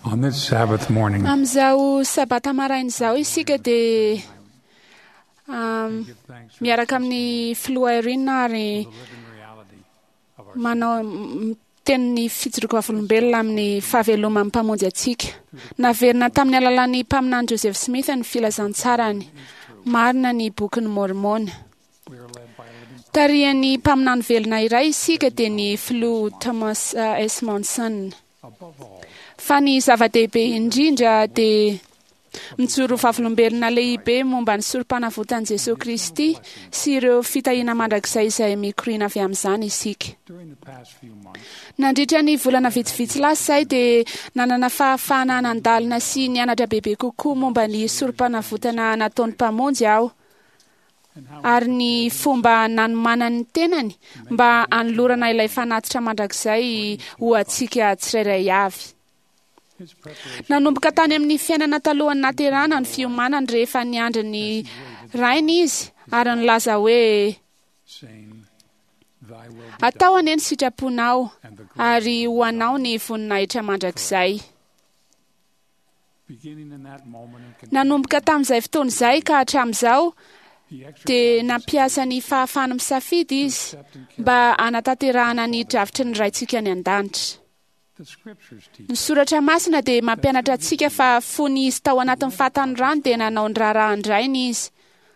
On this Sabbath morning, Amin'izao sabata maraina izao isika dia give thanks for miaraka amin'ny filoha Irene ary the living reality of our manao miteny ny fijoroako vavolombelona amin'ny fahaveloman'ny mpamonjy antsika. Naverina tamin'ny alalan'ny mpaminany Joseph Smith ny filazantsarany. Marina ny bokin'ny Mormona. We are led by a living Tarihan'ny mpaminany velona iray isika dia ny filoha Thomas S. Monson. above all Fa ny zava-dehibe indrindra dia mijoro vavolombelona lehibe momba ny sorom-panavotan'i Jesosy Kristy sy ireo fitahiana mandrakizay izay mikoriana avy amin'izany isika. during the past few months. Nandritra ny volana vitsivitsy lasa izay dia nanana fahafahana nandalina sy nianatra bebe kokoa momba ny sorom-panavotana nataon'ny mpamonjy aho And how ary ny fomba nanomanany ny tenany mba hanolorana ilay fanatitra mandrakizay ho antsika tsirairay avy. his preparation Nanomboka tany amin'ny fiainana talohan'ny naterahana ny fiomanany rehefa niandry ny rainy izy ary nilaza hoe saying, Thy will be atao done, anie ny sitraponao and the glory ary ho anao ny voninahitra mandrakizay. beginning in that moment and continuing, Nanomboka tamin'izay fotoana izay ka hatramin'izao he dia exercised his nampiasa ny fahafahany misafidy izy accept and carry mba hanatanterahana ny drafitry ny raintsika any an-danitra. the scriptures teach Ny soratra masina dia mampianatra antsika fa fony izy tao anatin'ny fahatanorany dia nanao ny raharahan-drainy izy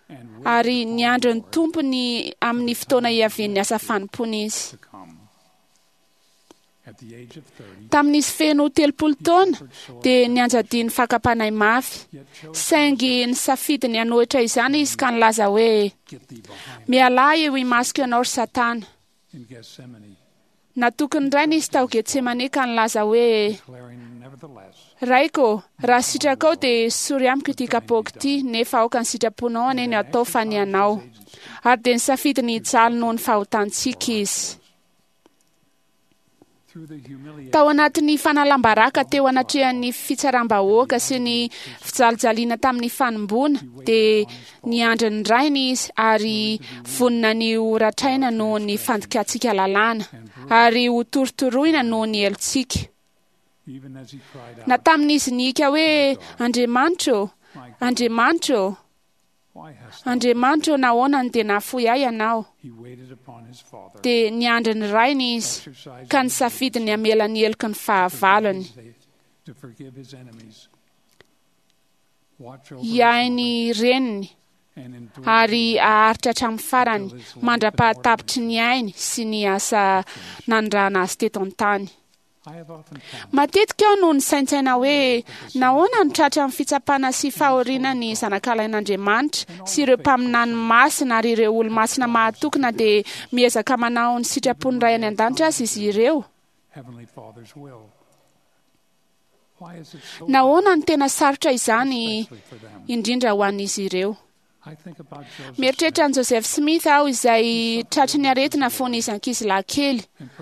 and waited ary upon niandry the ny Lord tompony amin'ny fotoana hiavian'ny asa fanompoana izy. to come. At the age of 30, Tamin'izy feno 30 taona dia nianjadian'ny fakam-panahy mafy, yet chose saingy nisafidy ny hanohitra izany izy ka nilaza hoe get thee behind mialà eo imasoko ianao ry Satana. in Gethsemane, Natoky ny rainy izy tao Getsemane ka nilaza hoe declaring nevertheless, Raiko, raha sitrakao dia sory amiko ity kapoaka ity, nefa aoka ny sitraponao anie no atao fa ny anao. Ary dia nisafidy ny hijaly noho ny fahotantsika izy. through the humiliation Tao anatin'ny fanalam-baraka teo anatrehan'ny fitsaram-bahoaka sy ny fijalijaliana tamin'ny fanomboana dia niandry ny rainy izy ary vonona ny ho ratraina noho ny fandikantsika lalàna ary ho torotoroina noho ny helotsika. even as he cried Na out, tamin'izy nihiaka hoe Andriamanitra ô, My God, Andriamanitra ô, why hast thou? Andriamanitra ô, nahoana no dia nahafoy ahy ianao? He waited upon his father, Dia niandry ny rainy izy exercising ka his nisafidy ny hamela ny heloky ny to forgive fahavalony. his- to forgive his enemies. Watch over his Hiahy mother ny reniny and endure ary the haharitra hatramin'ny farany mandra-pahatapitry ny ainy sy ny asa nanirahana azy teto an-tany. I have often pondered Matetika aho no nisaintsaina hoe nahoana no tratra amin'ny fitsapana sy fahoriana ny zanakalain'Andriamanitra sy ireo mpaminany masina ary ireo olo-masina mahatoky na dia miezaka manao ny sitrapon'ny Ray any an-danitra aza izy ireo. Heavenly Father's will. Why is it so Nahoana no tena sarotra izany especially for them? indrindra ho an'izy ireo? I think about Joseph Mieritreritra an'i Joseph Smith aho izay tratry ny aretina fony izy ankizilahy kely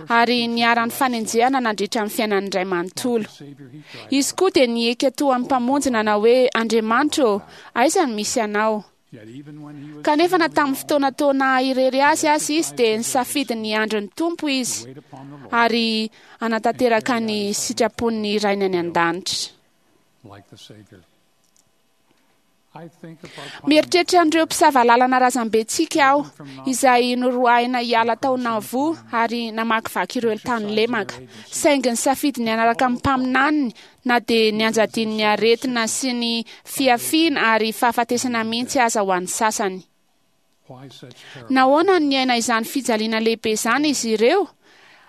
ary niharan'ny fanenjehana nandritra ny fiainany iray manontolo. Smith, Savior, he cried Izy koa dia nihiaka toa amin'ny mpamonjy nanao hoe Andriamanitra ô, aiza no misy anao? Yet even when he was Kanefa na tamin'ny fotoana toa naha-irery azy aza izy dia nisafidy ny andry ny Tompo izy wait upon the Lord ary hanatanteraka ny sitrapon'ny Rainy any an-danitra. like the Savior. I think of our Mieritreritra an'ireo mpisava lalana razambentsika aho izay noroahina hiala tao Nauvoo ary namakivaky ireo tany lemaka. Saingy nisafidy ny hanaraka amin'ny mpaminaniny na dia nianjadian'ny aretina sy ny fiafiana ary fahafatesana mihitsy aza ho an'ny sasany. why such terror Nahoana no niaina izany fijaliana lehibe izany izy ireo?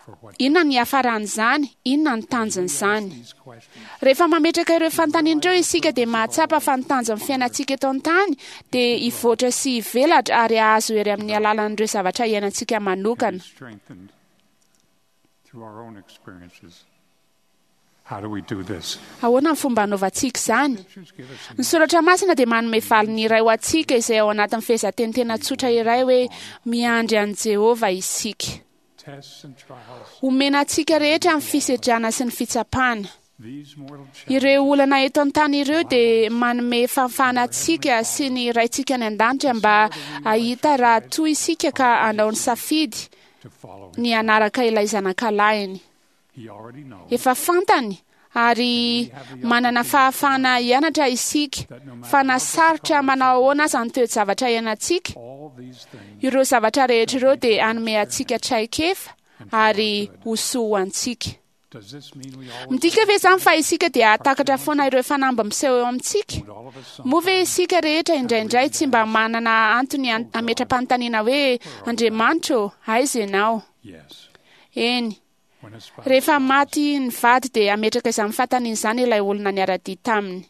for what Inona ny hiafaran'izany? Inona ny tanjon'izany? these questions Rehefa mametraka ireo fanontaniana ireo isika dia mahatsapa fa ny tanjon'ny fiainantsika eto an-tany dia hivoatra sy hivelatra ary hahazo hery amin'ny alalan'ireo zavatra iainantsika manokana. strengthened through our own experiences. How do we do this? Ahoana ny fomba hanaovantsika izany? Scriptures give us Ny soratra masina dia manome valiny iray ho antsika izay ao anatin'ny fehezanteny tena tsotra iray hoe miandry an'i Jehovah isika. tests and trials. Omena antsika rehetra ny fisedrana sy ny fitsapana. These mortal challenges Ireo olana eto an-tany ireo dia manome fahafahana antsika sy ny raintsika any an-danitra mba hahita raha toa isika ka hanao ny safidy to follow him. ny hanaraka ilay zanakalahiny. He already knows Efa fantany Ary manana fahafahana hianatra isika fa na sarotra manao ahoana aza ny toe-javatra iainantsika, ireo zavatra rehetra ireo dia hanome antsika traikefa ary ho soa ho antsika. Midika ve izany fa isika dia hahatakatra foana ireo fanamby miseho eo amintsika? Moa ve isika rehetra indraindray tsy mba manana antony hametra-panontaniana hoe, Andriamanitra ô, aiza Ianao? Eny. Rehefa maty ny vady dia hametraka izany fanontaniana izany ilay olona niara-dia taminy.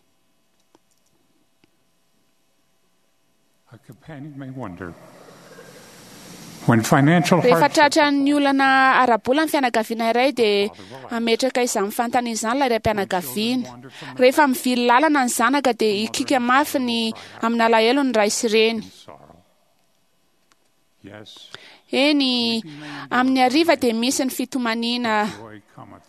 Rehefa tratran'ny olana ara-bola ny fianakaviana iray dia hametraka izany fanontaniana izany ilay raim-pianakaviana. Rehefa mivily lalana ny zanaka dia hikiaka mafy ny amin'alahelo ny ray sy reny. Eny, amin'ny hariva dia misy ny fitomaniana,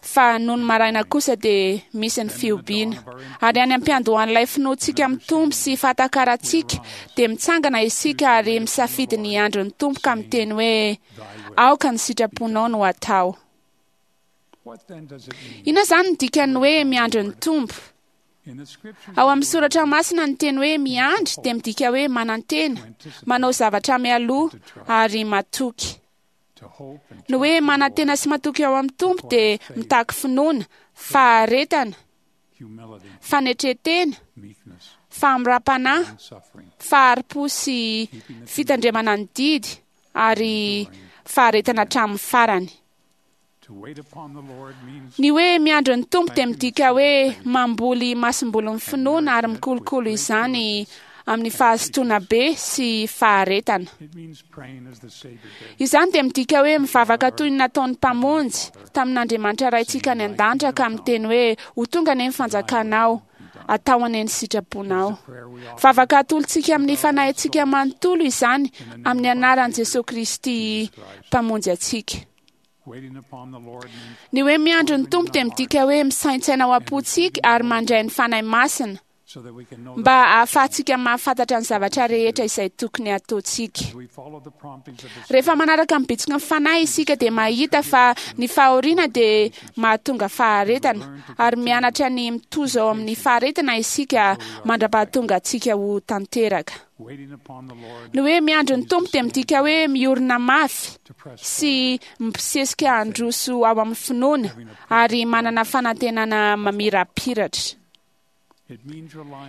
fa nony maraina kosa dia misy ny fihobiana. Ary any am-piandohan'ilay finoantsika mitombo sy fahatakarantsika, dia mitsangana isika ary misafidy ny andron'ny Tompo ka miteny hoe, Aoka ny sitraponao no hatao. Inona izany ny dikan'ny hoe miandry ny Tompo? Ao amin'ny soratra masina ny teny hoe miandry dia midika hoe manantena, manao zavatra mialoha ary matoky. Ny hoe manantena sy matoky ao amin'ny Tompo dia mitaky finoana, faharetana, fanetren-tena, fahamoram-panahy, fahari-po sy fitandremana ny didy ary faharetana hatramin'ny farany. Ny hoe miandry ny Tompo dia midika hoe mamboly masombolin'ny finoana ary mikolokolo izany amin'ny fahazotoana be sy faharetana. Izany dia midika hoe mivavaka toy ny nataon'ny Mpamonjy tamin'Andriamanitra Raintsika any an-danitra ka miteny hoe, Ho tonga anie ny fanjakanao, atao anie ny sitraponao. Vavaka atolotsika amin'ny fanahintsika manontolo izany amin'ny anaran'i Jesoa Kristy Mpamonjy antsika. Ny hoe miandry ny Tompo dia midika hoe misaintsaina ao am-pontsika ary mandray ny Fanahy Masina mba hahafahantsika mahafantatra ny zavatra rehetra izay tokony hataontsika. Rehefa manaraka ny bitsiky ny Fanahy isika dia mahita fa ny fahoriana dia mahatonga faharetana ary mianatra ny mitozo ao amin'ny faharetana isika mandra-pahatonga antsika ho tanteraka. Ny hoe miandry ny Tompo dia midika hoe miorina mafy sy mibosesika handroso ao amin'ny finoana ary manana fanantenana mamirapiratra.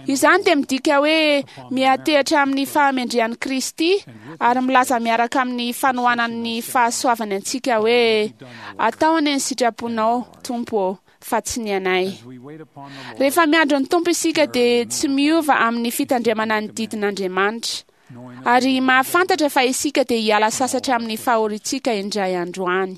Izany dia midika hoe miantehitra amin'ny fahamendrehan'i Kristy ary milaza miaraka amin'ny fanohanan'ny fahasoavany antsika hoe, Atao anie ny sitraponao, Tompo ô, fa tsy ny anay. Rehefa miandry ny Tompo isika dia tsy miova amin'ny fitandremana ny didin'Andriamanitra. Ary mahafantatra fa isika dia hiala sasatra amin'ny fahoriantsika indray andro any.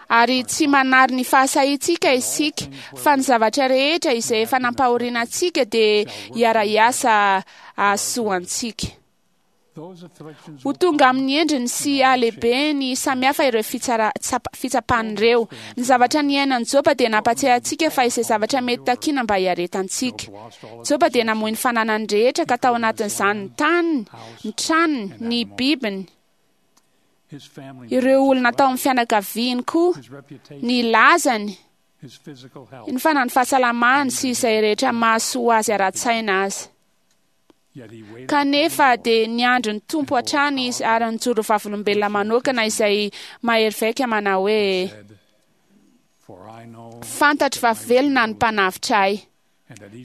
Ary tsy manary ny fahasahiantsika isika, fa ny zavatra rehetra izay efa nampahoriana antsika dia hiara-hiasa hahasoa antsika. Ho tonga amin'ny endriny sy halehibeny samihafa ireo fitsapana ireo. Ny zavatra niainan'i Joba dia nampatsiahy antsika fa izay zavatra mety takiana mba hiaretantsika. Joba dia namoy ny fananany rehetra ka tao anatin'izany ny taniny, ny tranony, ny bibiny, ireo olona tao amin'ny fianakaviany koa, ny lazany, ny fanany fahasalamany sy izay rehetra mahasoa azy ara-tsaina aza. Kanefa dia niandry ny Tompo hatrany izy ary nijoro vavolombelona manokana izay mahery vaika manao hoe, Fantatro fa velona ny Mpanavotra ahy,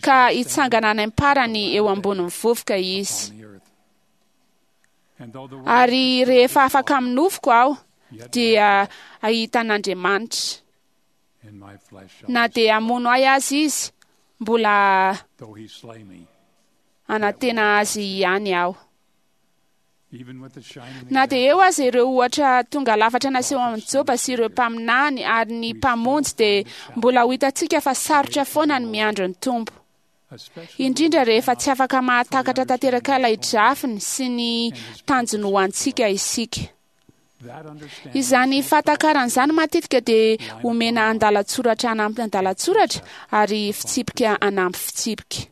ka hitsangana any am-parany eo ambonin'ny vovoka Izy. Ary rehefa afaka amin'ny nofoko aho, dia hahita an'Andriamanitra. Na dia hamono ahy aza Izy, mbola hanantena Azy ihany aho. Na dia eo aza ireo ohatra tonga lafatra naseho amin'i Joba sy ireo mpaminany ary ny Mpamonjy dia mbola ho hitantsika fa sarotra foana ny miandry ny Tompo. Indrindra rehefa tsy afaka mahatakatra tanteraka ilay drafiny sy ny tanjony ho antsika isika. Izany fahatakarana izany matetika dia omena andalan-tsoratra anampy andalan-tsoratra ary fitsipika anampy fitsipika.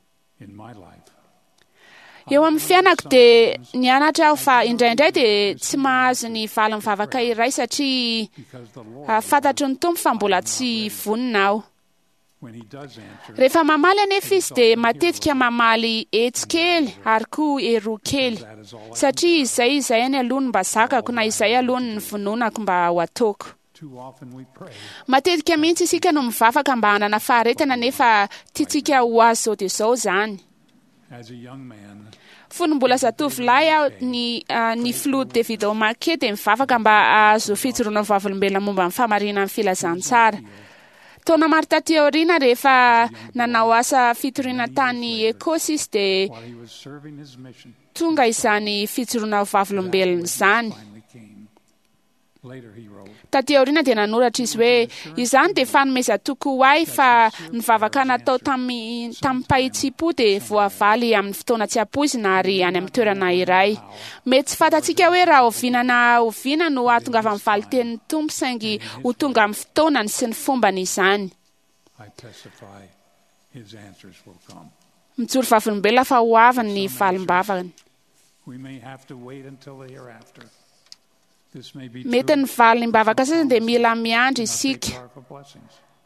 Eo amin'ny fiainako dia nianatra aho fa indraindray dia tsy mahazo ny valin'ny vavaka iray satria fantatry ny Tompo fa mbola tsy vonona aho. Rehefa mamaly anefa izy dia matetika mamaly etsy kely ary koa eroa kely, satria izay izay any aloha no mba zakako na izay aloha no nivononako mba ho ataoko. Matetika mihitsy isika no mivavaka mba hanana faharetana nefa tiantsika ho azy izao dia izao izany. Fony mbola zatovolahy aho, ny filoha David O. McKay dia mivavaka mba hahazo fijoroana vavolombelona momba ny fahamarinan'ny filazantsara. Taona maro taty aoriana, rehefa nanao asa fitoriana tany Ekosy izy dia tonga izany fijoroana vavolombelona izany. Taty aoriana dia nanoratra izy hoe, izany dia fanomezan-toky ho ahy fa ny vavaka natao tamim-pahitsim-po dia voavaly amin'ny fotoana tsy ampoizina ary any amin'ny toerana iray. Mety tsy fantatsika hoe raha oviana na oviana no hahatongavan'ny valin-tenin'ny Tompo, saingy ho tonga amin'ny fotoanany sy ny fombany izany. Mijoro vavolombelona fa ho avy ny valim-bavany. Mety ny valim-bavaka sasany dia mila miandry isika.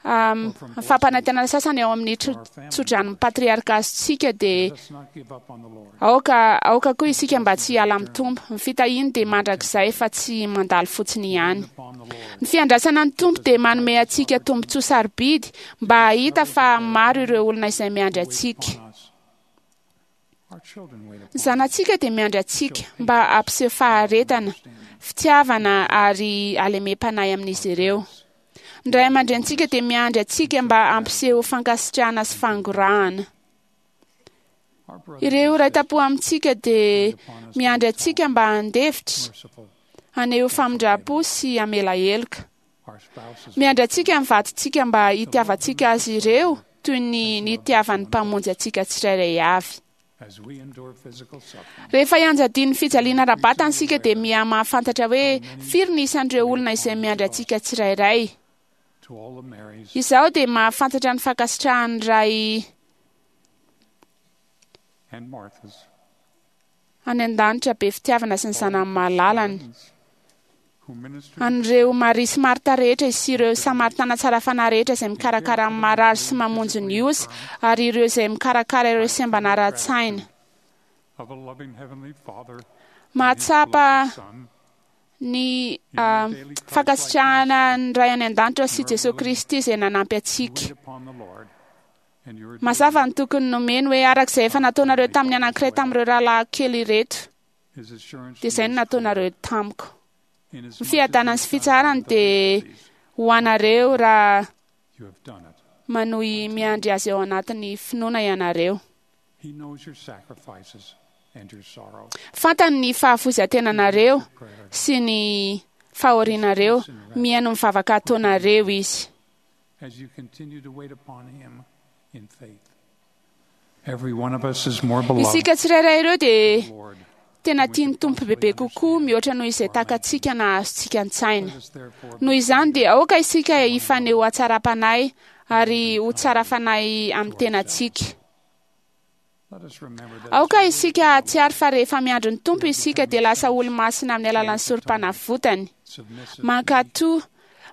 Ny fampanantenana sasany ao amin'ny tsodranon'ny patriarka azontsika dia aoka aoka koa isika mba tsy hiala amin'ny Tompo. Ny fitahiany dia mandrakizay fa tsy mandalo fotsiny ihany. Ny fiandrasana ny Tompo dia manome antsika tombontsoa sarobidy mba hahita fa maro ireo olona izay miandry antsika. Ny zanatsika dia miandry antsika mba hampiseho faharetana, fitiavana ary halemem-panahy amin'izy ireo. Ny ray aman-drenintsika dia miandry antsika mba hampiseho fankasitrahana sy fangorahana. Ireo ray tam-po amintsika dia miandry antsika mba handefitra, haneho famindram-po sy hamela heloka. Miandry antsika ny vadintsika mba hitiavantsika azy ireo toy ny nitiavan'ny Mpamonjy antsika tsirairay avy. Rehefa ianjadian'ny fijaliana ara-batana isika dia miha-mahafantatra hoe firy ny isan'ireo olona izay miandry antsika tsirairay. Izaho dia mahafantatra ny fankasitrahan'ny Ray any an-danitra be fitiavana sy ny Zanany malalany. An'ireo Maria sy Marta rehetra sy ireo Samaritana tsara fanahy rehetra izay mikarakara ny marary sy mamonjy ny osa, ary ireo izay mikarakara ireo sembana ara-tsaina. Mahatsapa ny fankasitrahana ny Ray any an-danitra sy Jesoa Kristy izay nanampy antsika. Mazava ny tokony nomeny hoe araka izay efa nataonareo tamin'ny anankiray tamin'ireo rahalahy kely ireto, dia izay no nataonareo tamiko. Ny fiadanany sy fitsaharany dia ho anareo raha manohy miandry azy ao anatin'ny finoana ianareo. Fantany ny fahafoizan-tenanareo sy ny fahorianareo, mihaino ny vavaka ataonareo izy. Isika tsirairay ireo dia tena tian'ny Tompo bebe kokoa mihoatra noho izay takatsika na azontsika an-tsaina. Noho izany dia aoka isika hifaneho hatsaram-panahy ary ho tsara fanahy amin'ny tenantsika. Aoka isika hahatsiaro fa rehefa miandry ny Tompo isika dia lasa olo-masina amin'ny alalan'ny sorom-panavotany. Mankatò,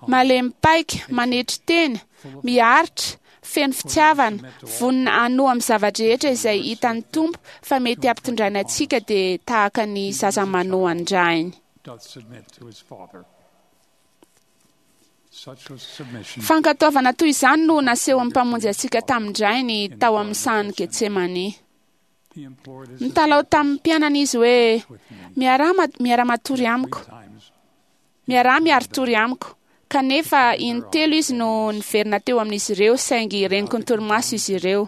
malemy paika, manetry tena, miaritra, feno fitiavana, vonona hanoa amin'ny zava-drehetra izay hitan'ny Tompo fa mety hampitondraina antsika dia tahaka ny zaza manoa an-drainy. Fankatoavana toy izany no nasehon'ny Mpamonjy antsika tamin-drainy tao amin'ny sahan'i Getsemane. Nitalaho tamin'ny mpianany izy hoe, Miara-matory amiko. Miaraha miari-tory amiko. Kanefa intelo izy no niverina teo amin'izy ireo, saingy reniko ny torimaso izy ireo.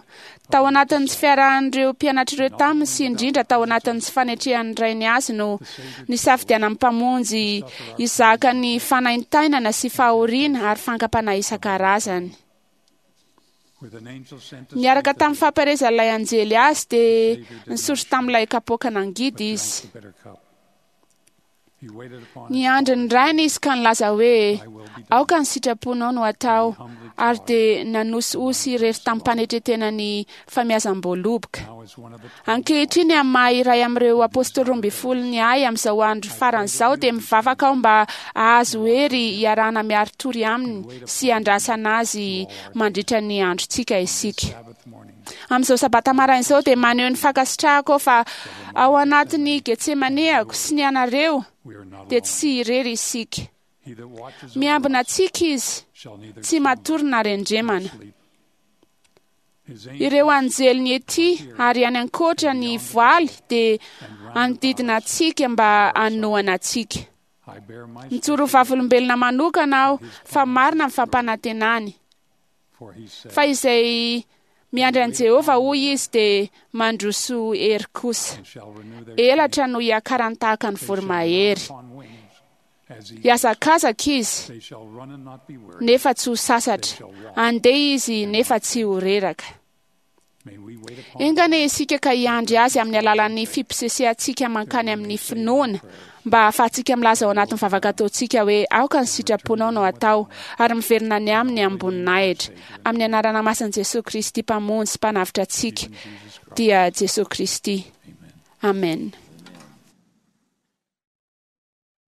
Tao anatin'ny tsy fiarahan'ireo mpianatr'ireo taminy sy indrindra tao anatin'ny tsy fanetrehan'ny rainy azy no nisafidianan'ny Mpamonjy hizaka ny fanaintainana sy fahoriana ary fankam-panahy isan-karazany. Niaraka tamin'ny fampaherezan'ilay anjely azy dia nisotro tamin'ilay kapoaka nangidy izy. Niandry ny rainy izy ka nilaza hoe, aoka ny sitraponao no atao, ary dia nanosihosy irery tamin'ny mpanetretena ny famiazam-boaloboka. Ankehitriny amin'ny maha iray amin'ireo apôstôly 12 ny ahy amin'izao andro farany izao dia mivavaka aho mba hahazo hery hiarahana miari-tory aminy sy handrasana azy mandritra ny androntsika isika. Amin'izao sabata maraina izao dia maneho ny fankasitrahako aho fa ao anatin'ny Getsemaneako sy ny anareo dia tsy irery isika. Miambina antsika izy, tsy matory na rendremana. Ireo anjeliny ety ary any ankoatra ny voaly dia hanodidina antsika mba hanohana antsika. Mijoro vavolombelona manokana aho fa marina ny fampanantenany. Fa izay miandry an'i Jehovah, hoy izy, dia mandroso hery kosa. Elatra no hiakarany tahaka ny voromahery. Hihazakazaka izy, nefa tsy ho sasatra. Handeha izy, nefa tsy ho reraka. Enga anie isika ka hiandry azy amin'ny alalan'ny fiposesehantsika mankany amin'ny finoana, mba hahafahantsika milaza ao anatin'ny vavaka ataontsika hoe aoka ny sitraponao no atao, ary miverina any aminy amim-boninahitra. Amin'ny anarana masin'i Jesoa Kristy Mpamonjy sy Mpanavotra antsika, dia Jesoa Kristy. Amen.